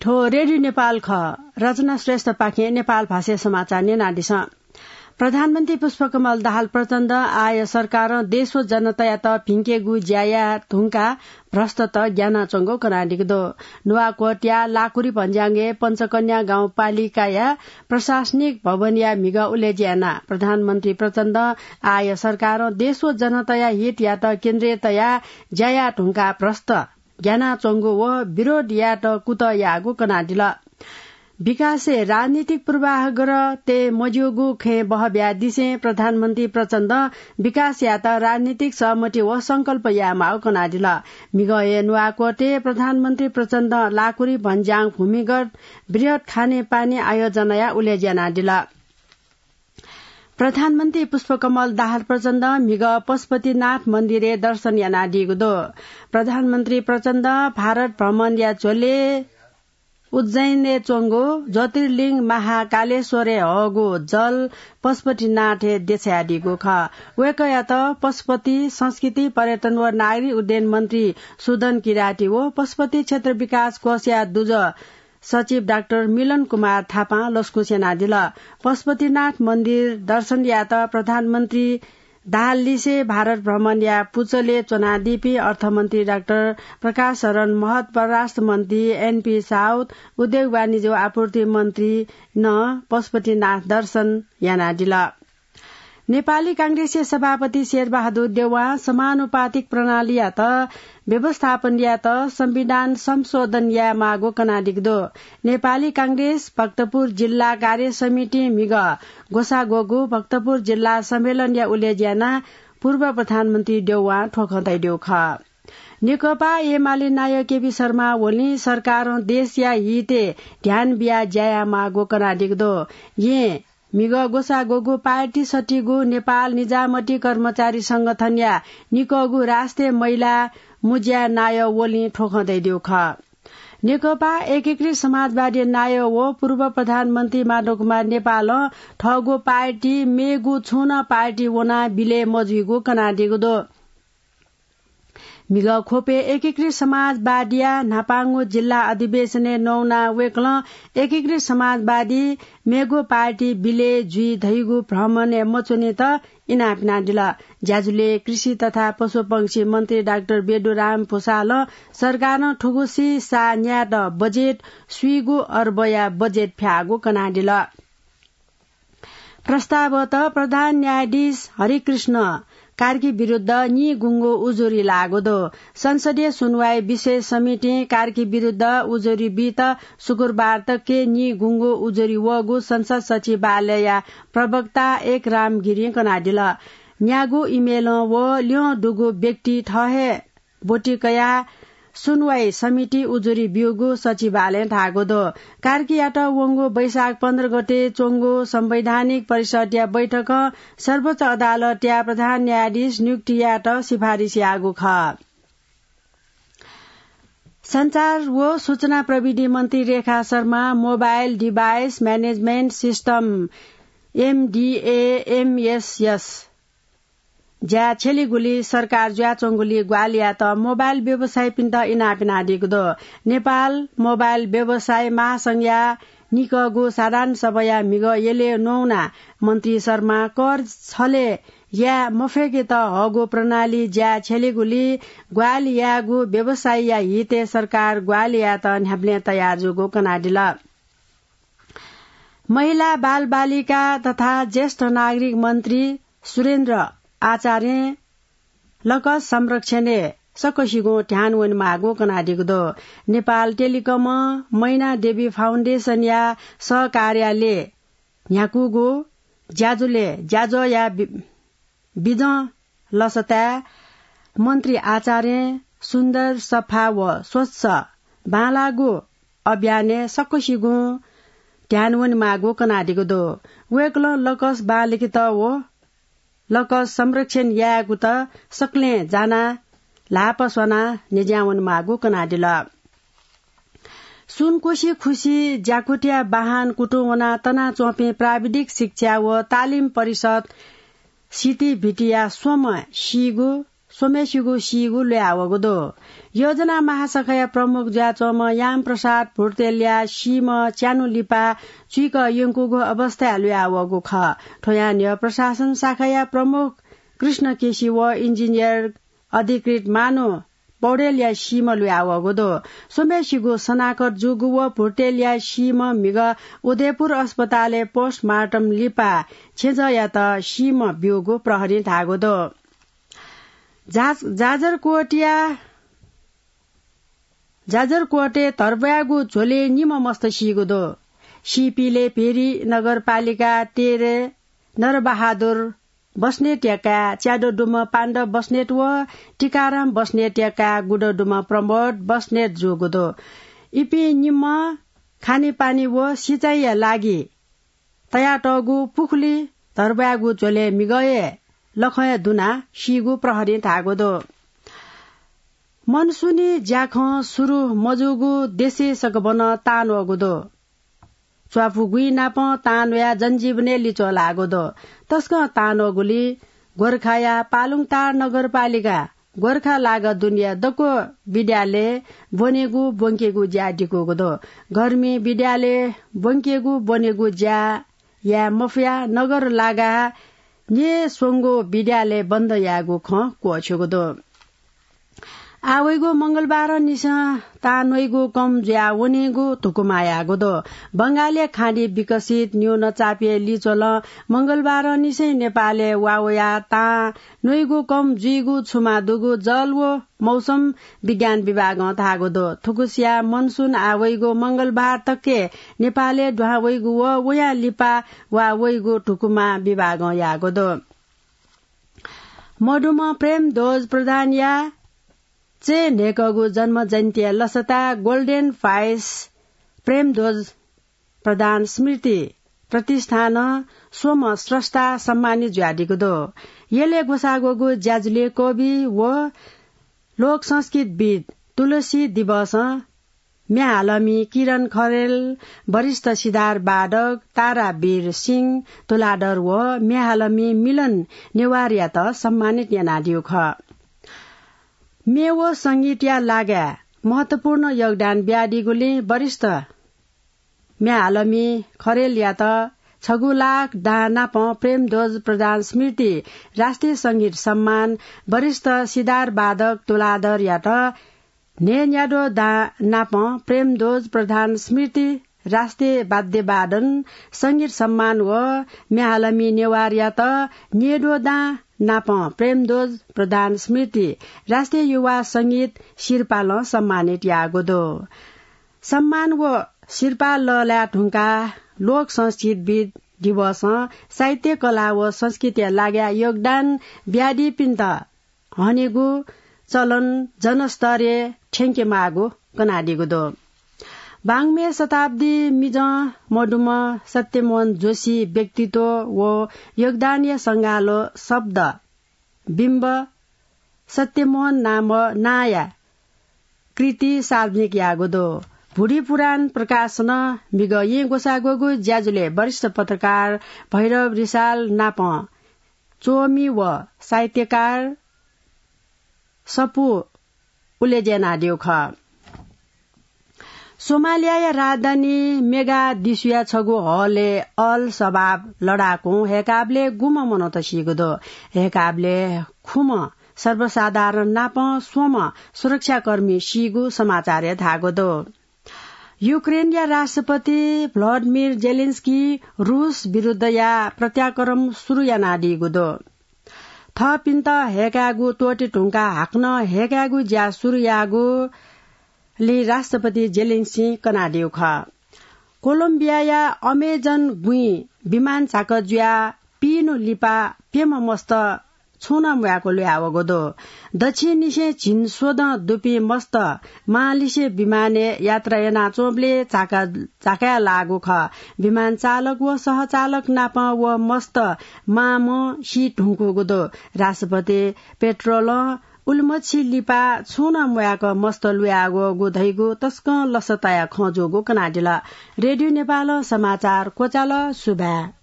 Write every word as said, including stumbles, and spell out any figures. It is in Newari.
थ्व रेडियो नेपाल खः। रचना श्रेष्ठपाखें नेपाल भाषाय् समाचार न्यनादिसँ। प्रधानमन्त्री पुष्पकमल दाहाल प्रचण्ड आः सरकारं देश व जनतायात भिंकेगु ज्या याये धुंकाः भ्रष्टत ग्यानाच्वंगु कनादीगु दु। नुवाकोटया लाकुरी भन्ज्याङय् पञ्चकन्या गाउँपालिकाया प्रशासनिक भवनया म्हिगः उलेज्या यानाः प्रधानमन्त्री प्रचण्डं आः सरकारं देश व जनताया हितयात केन्द्रय् तयाः ज्या याये धुंकाः भ्रष्ट ग्यानाच्वंगु व विरोध यायेत कुतः याःगु कनादिल। विकासय् राजनीतिक पूर्वाग्रह तये मज्यूगु खँय् बहः बियादिसें प्रधानमन्त्री प्रचण्डं विकास यायेत राजनीतिक सहमति व संकल्प यायेमाःगु कनादिल। म्हिगः हे नुवाकोटय् प्रधानमन्त्री प्रचण्डं लाकुरी भन्ज्याङ भूमिगत बृहत् खानेपानी आयोजनाया उलेज्या यानादिल। प्रधानमन्त्री पुष्पकमल दाहाल प्रचण्डं म्हिगः पशुपतिनाथ मन्दिरय् दर्शन यानादीगु दु। प्रधानमन्त्री प्रचण्डं भारत भ्रमणया झ्वलय् उज्जैनय् च्वंगु ज्योतिर्लिङ्ग महाकालेश्वरय् हःगु जल पशुपतिनाथय् देछायादीगु खः। वय्कःयात पशुपति संस्कृति, पर्यटन व नागरिक उड्डयन मन्त्री सुदन किराती व पशुपति क्षेत्र विकास कोषया दुजः सचिव डाक्टर मिलन कुमार थापां लसकुस यानादिल। पशुपतिनाथ मन्दिर दर्शन यायेत प्रधानमन्त्री दाहाललिसे भारत भ्रमणया पुचलय् च्वनादीपिं अर्थमन्त्री डाक्टर प्रकाश शरण महत, परराष्ट्र मन्त्री एनपी साउद, उद्योग वाणिज्य व आपूर्ति मन्त्री नं पशुपतिनाथ दर्शन यानादिल। नेपाली कांग्रेसया सभापति शेरबहादुर देउवां समानुपातिक प्रणालीयात व्यवस्थापन यायेत संविधान संशोधन यायेमाःगु कनादीगु दु। नेपाली कांग्रेस भक्तपुर जिल्ला कार्य समितिं म्हिगः ग्वसाः ग्वःगु भक्तपुर जिल्ला सम्मेलनया उलेज्या यानाः पूर्व प्रधानमन्त्री देउवां थ्व खँ धयादीगु खः। नेकपा एमाले नायः केपी शर्मा ओलीं सरकारं देशया हितय् ध्यान बियाः ज्या यायेमाःगु कनादीगु दु। यें म्हिगः ग्वसाः ग्वःगु पार्टी सत्तीगु नेपाल निजामती कर्मचारी संगठनया निकःगु राष्ट्रिय महिला मुज्या नायः ओलीं थ्व खँ धयादीगु खः। नेकपा एकीकृत समाजवादी नायः व पूर्व प्रधानमन्त्री माधव कुमार नेपालं थःगु पार्टी मेगु छुं नं पार्टी वनाः बिलय् मजुइगु कनादीगु दु। म्हिगः ख्वपय् एकीकृत समाजवादीया न्हापांगु जिल्ला अधिवेशनय् नवानाः वय्कलं एकीकृत समाजवादी मेगु पार्टी बिलय् जुइ धइगु भ्रम नये मच्वनेत इनाप यानादिल। ज्याझ्वलय् कृषि तथा पशुपंक्षी मन्त्री डाक्टर बेदुराम भुसालं सरकारं थुगुसी सा न्यायेत बजेट स्वीगू अर्बया बजेट फ्याःगु कनादिल। प्रस्तावत प्रधान न्यायाधीश हरिकृष्ण कार्की विरुद्ध निगुंगु उजुरी लाःगु दु। संसदीय सुनवाई विशेष समितिं कार्की विरुद्ध उजुरी बीत शुक्रबार तक निगुंगु उजुरी वःगु संसद सचिवालयया प्रवक्ता एक राम गिरिं कनादिल। न्यागू इमेलं व ल्यं दुगु व्यक्ति थः हे ब्वति कयाः सुनवाई समिति उजुरी ब्यूगु सचिवालयं धाःगु दु। कार्कीयात वंगु वैशाख पन्ध्र गते च्वंगु संवैधानिक परिषदया बैठकं सर्वोच्च अदालतया प्रधान न्यायाधीश नियुक्ति यायेत सिफारिस याःगु खः। सञ्चार व सूचना प्रविधि मन्त्री Rekha Sharma mobile device management system, MDAMSS ज्या छ्यलीगुली सरकार जुयाच्वंगुली ग्वाहालि यायेत मोबाइल व्यवसायीपिन्त इनाप यानादीगु दु। नेपाल मोबाइल व्यवसायी महासंघया निकःगु साधारण सभाया म्हिगः यलय् नवानाः मन्त्री शर्मां कर छलय् याये मफय्केत हःगु प्रणाली ज्या छ्यलीगुली ग्वाहालि यायेगु व्यवसायीया हितय् सरकार ग्वाहालि यायेत न्ह्याबलें तयार जूगु कनादिल। महिला, बालबालिका तथा ज्येष्ठ नागरिक मन्त्री सुरेन्द्र आचार्यं लकस संरक्षणय् सकसिगुं ध्यान वनेमाःगु कनादीगु दु। नेपाल टेलिकमं मैना देवी फाउन्डेसनया सहकार्यालयय् न्ह्याकूगु ज्याझ्वलय् ज्याझ्वःया बि-, बिजं लसताय् मन्त्री आचार्यं सुन्दर, सफा व स्वच्छ बांलाःगु अभियानय् सकसिगुं ध्यान वनेमाःगु कनादीगु दु। वय्कलं लकस बांलाकेत व लकस संरक्षण यायेगुत सकलें जानाः ल्हापा स्वानाः न्ह्यज्यां वनेमाःगु कनादिल। सुनकोशी खुसी ज्याकुथिया बाहन कुतुं वनाः तनाच्वंपिं प्राविधिक शिक्षा व तालिम परिषद सितिभितिया स्वम्ह सीगु स्वम्हेसिगु सीगु ल्वयावःगु दु। योजना महाशाखाया प्रमुख जुयाच्वंम्ह याम प्रसाद भुर्तेलया सीम्ह च्यान्हु लिपा चुइक यंकूगु अवस्थाय् ल्वयावःगु खः। थ्वयां न्ह्यः प्रशासन शाखाया प्रमुख कृष्ण केसी व इन्जिनियर अधिकृत मानु पौडेलया सीम्ह ल्वयावःगु दु। स्वम्हेसिगु शनाखत जूगु व भुर्तेलया सीम्ह म्हिगः उदयपुर अस्पतालय् पोस्टमार्टम लिपा छेँजःयात सीम्ह ब्यूगु प्रहरीं धाःगु दु। जा-, जाजरकोटया, जाजरकोटय् धर्ब्वाय्गु झ्वलय् निम्ह मस्त सीगु दु। सीपिले भेरी नगरपालिका तेह्र नरबहादुर बस्नेतया काय् च्यादँ दुम्ह पाण्ड बस्नेत व टिकाराम बस्नेतया काय् गुदँ दुम्ह प्रमोद बस्नेत जूगु दु। इपिं निम्ह खानेपानी व सिँचाइया लागि तयातःगु पुखुली धर्ब्वाय्गु झ्वलय् म्हिगः हे लखं हे दुनाः सीगु प्रहरीं धाःगु दु। मनसुनी ज्याखँ सुरु मजूगु देशय् सकभनं तां वःगु दु। च्वापुगुइ नापं तां वयाः जनजीवनय् लिच्वः लाःगु दु। तसकं तां वःगुलिं गोर्खाया पालुङटार नगरपालिका गोर्खा लागा दुनेया दक्व विद्यालय ब्वनेगु ब्वंकेगु ज्या दिकूगु दु। गर्मी विद्यालय ब्वंकेगु ब्वनेगु ज्या याये मफयाः नगर लागा न्येस्वंगु विद्यालय बन्द यायेगु खँ क्वःछ्यूगु दु। आः वइगु मंगलबारंनिसें तां न्वइगु कम जुयाः वनीगु धुकुमा याःगु दु। बंगालया खाडी विकसित न्यूनचापय् लिच्वलं मंगलबारंनिसें नेपालय् वा वयाः तां न्वइगु कम जुइगु छुमा दुगु जल व मौसम विज्ञान विभागं धाःगु दु। थुगुसिया मनसुन आः वइगु मंगलबार तक नेपालय् दुहां वइगु व वयां लिपा वा वइगु धुकुमा विभागं याःगु दु। मदुम्ह प्रेमध्वज प्रधानया चय् न्हय्कःगु जन्म जयन्तीया लसताय् Golden Voice प्रेमध्वज प्रधान स्मृति प्रतिष्ठानं स्वम्ह स्रष्टा सम्मानित जुयादीगु दु। यलय् ग्वसाः ग्वःगु ज्याझ्वलय् कवि व लोक संस्कृतिविद् तुलसी दिवसं म्ये हालमि किरण खरेल, वरिष्ठ सितार वादक तारावीर सिंह तुलाधर व म्ये हालमि मिलन नेवारयात सम्मानित यानादीगु खः। म्ये व संगीतया लागाय् महत्वपूर्ण योगदान बियादीगुलिं वरिष्ठ म्ये हालमि खरेलयात छगू लाख दां नापं प्रेमध्वज प्रधान स्मृति राष्ट्रिय संगीत सम्मान, वरिष्ठ सितार वादक तुलाधरयात न्हय्न्याद्वः दां नापं प्रेमध्वज प्रधान स्मृति राष्ट्रिय वाद्यवादन संगीत सम्मान व म्ये हालमि नेवारयात न्येद्वः दां नापं प्रेमध्वज प्रधान स्मृति राष्ट्रिय युवा संगीत सिरपालं सम्मानित याःगु दु। सम्मान व सिरपाः लःल्हाये धुंकाः लोक संस्कृतिविद् दिवसं साहित्य, कला व संस्कृतिया लागाय् योगदान बियादीपिन्त हनेगु चलन जनस्तरय् थ्यंकेमाःगु कनादीगु दु। वाङ्मय शताब्दी मिजं मदुम्ह सत्यमोहन जोशी व्यक्तित्व व योगदानया संगालो शब्द बिम्ब सत्यमोहन नाम नांया कृति सार्वजनिक याःगु दु। भुडी पुराण प्रकाशनं म्हिगः येँ ग्वसाः ग्वःगु ज्याझ्वलय् वरिष्ठ पत्रकार भैरव रिसाल नाप च्वमि व साहित्यकार सपु उलेज्यानादीगु खः। सोमालियाया राजधानी मेगादिसुया छगू हलय् अल शबाब लडाकुं हय्काबलय् गुम्ह मनूत सीगु दु। हय्काबलय् खुम्ह सर्वसाधारण नाप स्वम्ह सुरक्षाकर्मी सीगु समाचारय् धाःगु दु। युक्रेनया राष्ट्रपति भ्लादिमिर जेलेन्स्की रुस विरुद्धया प्रत्याक्रमण सुरु यानादीगु दु। थःपिन्त हय्कायेगु त्वःते धुंकाः हाकनं हय्कायेगु ज्या सुरु याःगुलिं राष्ट्रपति जेलेन्स्कीं कनादीगु खः। कोलम्बियाया अमेजन गुँइ विमान झाकः जुयाः पीन्हु लिपा प्यम्ह मस्त छुं नं म्वायेक ल्वयावःगु दु। दच्छि निसें झिंस्वदँ दुपिं मस्त मांलिसे विमानय् यात्रा यानाच्वंबलय् झाका, झाकाय् लाःगु खः। विमान चालक व सहचालक नाप व मस्त मांम्ह सी धुंकूगु दु। राष्ट्रपति पेट्रोलं उलिमछि लिपा छुं नं म्वायेक मस्त ल्वयावःगु धइगु तसकं लसताया खँ जूगु कनादिल। रेडियो नेपालं समाचार क्वचाल। सुभाय्।